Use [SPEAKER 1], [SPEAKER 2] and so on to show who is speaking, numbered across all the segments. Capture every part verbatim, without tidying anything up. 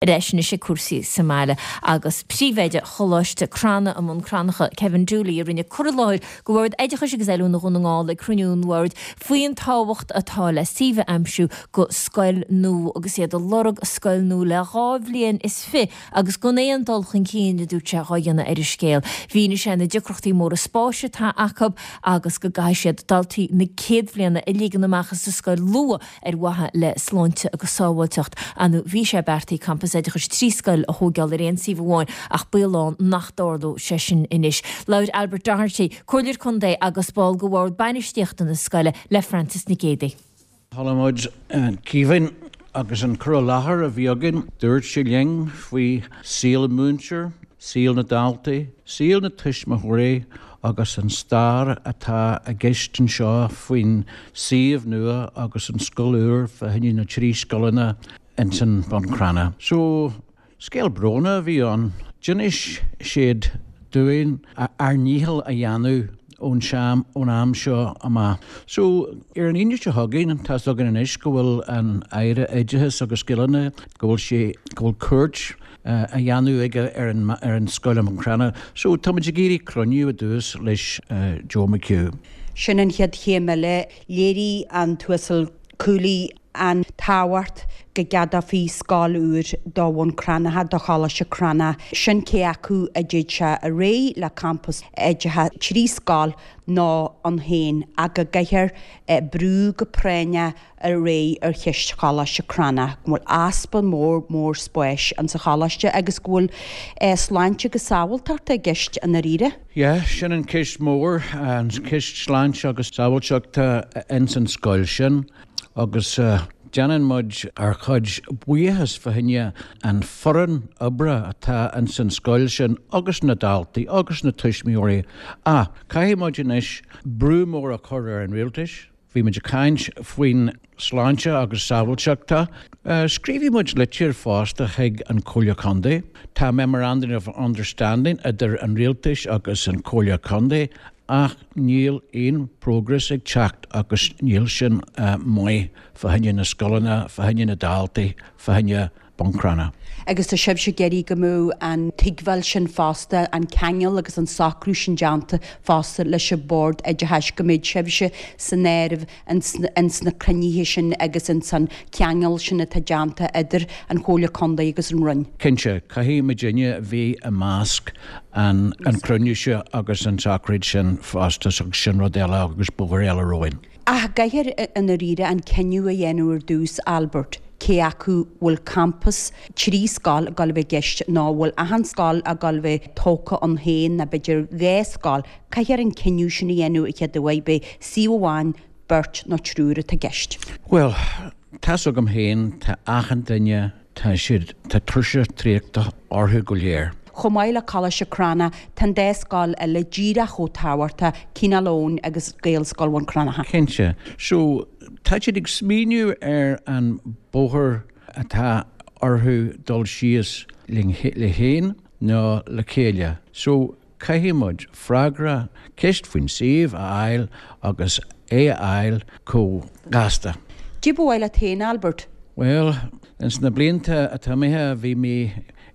[SPEAKER 1] Ar ais anois ag cúrsaí sa mbaile agus príomhoide Choláiste Crana i mBun Cranncha, Kevin Dooley, a rinne cur i láthair do Bhord Oideachais agus Oiliúna Dhún na nGall ag cruinniú an bhoird faoin tábhacht atá le suíomh a aimsiú do scoil nua agus iad ag lorg scoil nua le dhá bhliain is fiche agus gan aon dul chun cinn, a dúirt sé, dhá dhéanamh ar an scéal. Mhínigh sé na deacrachtaí móra spáis atá acu agus go gcaithfidh siad daltaí na céad bhliana a ligean amach as an scoil luath ar mhaithe le sláinte agus sábháilteacht. Anu bhí sé beartaithe campas oideachais trí scoil a thógáil ar aon suíomh amháin ach baol ann nach dtarlódh sé sin anois. Labhair Albert Doherty, Comhairleoir Contae agus ball de bhord bainistíochta na scoile le Frances Nic Géadaigh.
[SPEAKER 2] Chuala muid Kevin agus an cur i láthair a bhí againn, dúirt sé linn faoi saol an múinteoir, saol na daltaí, saol na tuismitheoirí agus an stair atá i gceist anseo faoin suíomh nua agus an scoil úr fá choinne na trí scoileanna ins an Bun Cranncha. So, scéal brónach a bhí ann. D'inis siad dúinn ár ndícheall a dhéanamh ón seam ón am seo amach. So, ar an Aoine seo chugainn, tá's againn anois go bhfuil an Aire Oideachais agus Scileanna, go bhfuil sé, go bhfuil cuairt a dhéanamh aige ar an ar an scoil i mBun Cranncha. So, táimid ag iarraidh cruinniú i dtús leis Joe McHugh.
[SPEAKER 3] Sin an chéad chéim eile. Léirigh an tUasal Cooley an tábhacht go gceadófaí scoil úr do Bhun Cranncha, do Choláiste Crannach. Sin cé acu a dtéid sé ar aghaidh le campas oideachais trí scoil nó ann féin ach go gcaithfear brú go práinneach ar aghaidh ar cheist Choláiste Crannach, go bhfuil easpa mór mór spáis insa choláiste agus go bhfuil sláinte agus sábháilteacht i gceist i ndáiríre.
[SPEAKER 2] Yeah, sin an ceist mór, an ceist sláinte agus sábháilteachta ins an scoil sin. Agus déanann muid ár chuid buíochas fá choinne an foireann oibre atá ins an scoil sin agus na daltaí agus na tuismitheoirí. Ach caithfidh muid anois brú mór a chur ar an rialtais. Bhí muid ag caint faoin sláinte agus sábháilteachta. Scríobhfaidh muid litir fosta chuig an Comhairle Contae. Tá Memorandum of Understanding idir an rialtais agus an Comhairle Contae ach níl aon progress ag teacht agus níl sin maith fá choinne na scoileanna, fá choinne na daltaí, fá choinne Bun Cranncha.
[SPEAKER 3] Agus tá sibhse ag iarraidh go mbeadh an tuigbheáil sin fosta, an ceangal agus an socrú sin déanta fosta leis an Bhord Oideachais, go mbeidh sibhse san áireamh ins na cruinnithe sin agus ins an cheangal sin atá déanta idir an Chomhairle Contae agus an Roinn.
[SPEAKER 2] Cinnte, caithfidh muidinne a bheith i measc an cruinniú seo agus an tsocraid sin fosta agus sin rud eile agus bóthar eile romhainn.
[SPEAKER 3] Ach caithfear i ndáiríre an cinneadh a dhéanamh ar dtús, Albert, cé acu bhfuil campas trí scoil ag dul a bheith i gceist nó bhfuil achan scoil ag dul a bheith tógtha ann féin nó b'fhéidir dhá scoil. Caithfear an cinneadh sin a dhéanamh a chéad uair, beidh suíomh amháin, beirt nó triúr atá i gceist.
[SPEAKER 2] Bhuel, tá's agam féin, tá achan duine, tá siad, tá tuirse traochta orthu go léir.
[SPEAKER 3] Chomh maith le Coláiste Crannach, tá an dá scoil eile díreach chomh tábhachtach, Cineál Eoghain agus Gaelscoil Bhun Cranncha.
[SPEAKER 2] Cinnte. So, tá siad ag smaoineamh ar an bóthar atá orthu dul síos linn le féin nó le chéile. So, caithfidh muid freagra, ceist faoin suíomh a fháil agus é a fháil chomh gasta.
[SPEAKER 3] Cad é ba mhaith leat féin, Albert?
[SPEAKER 2] Bhuel, ins na blianta atá imithe bhí mé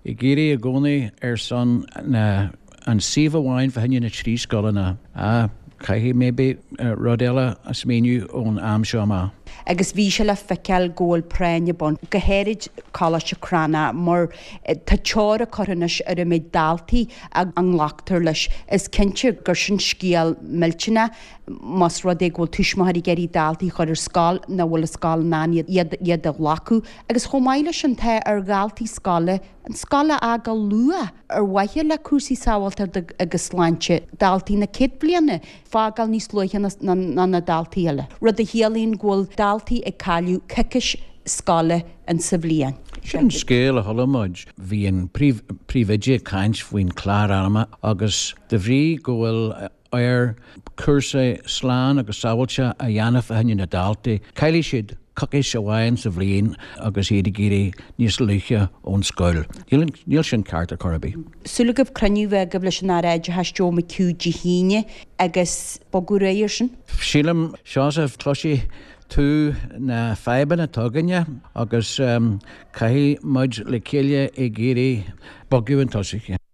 [SPEAKER 2] ag iarraidh i gcónaí ar son na an suíomh amháin fá choinne na trí scoileanna. Ah, caithfidh maybe rud eile a smaoineamh ón am seo amach.
[SPEAKER 3] Agus bhí sé le feiceáil go bhfuil práinn ag baint, go háirid Coláiste Crannach, mar tá teora curtha anois ar an méid daltaí a nglactar leis. Is cinnte gur sin scéal millteanach más rud é go bhfuil tuismitheoirí ag iarraidh daltaí a chur ar scoil nach bhfuil an scoil in ann iad iad a ghlacadh. Agus chomh maith leis sin tá ar dhaltaí scoile an scoil a fhágáil luath ar mhaithe le cúrsaí sábháilteachta agus sláinte daltaí na céad bliana fágáil níos luaithe ná na daltaí eile, rud a chiallaíonn go bhfuil daltaí ag cailleadh coicís scoile in sa bhliain.
[SPEAKER 2] Sin scéal a chuala muid. Bhí an príomhoide ag caint faoin chlár ama agus de bhrí go bhfuil air cúrsaí slán agus sábháilte a dhéanamh fá choinne na daltaí. Caillfidh siad coicís amháin sa bhliain agus iad ag éirí níos luaithe ón scoil. Níl sin ceart ar chor ar bith.
[SPEAKER 3] Súil agaibh cruinniú a bheith agaibh leis an Aire Oideachais Joe McHugh Dé hAoine agus bogadh ar aghaidh ar sin?
[SPEAKER 2] Sílim, Seosamh, cloisfidh tú na fadhbanna atá againne agus um, caithfidh muid le chéile ag iarraidh bogadh chun tosaigh.